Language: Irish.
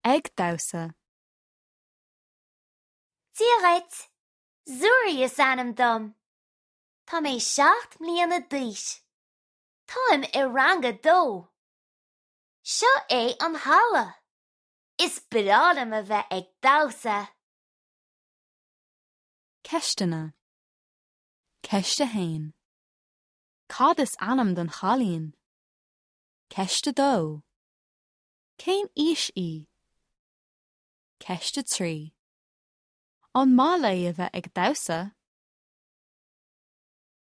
Ag damhsa. Dia dhuit! Zuri is ainm dom. Tá mé 7 mbliana d'aois. Táim i rang a dó. Seo é an halla. Is breá liom a bheith ag damhsa. Ceisteanna. Ceist 1. Cad is ainm don chailín? Ceist 2. Cén aois í? Ceist 3. An maith léi a bheith ag damhsa?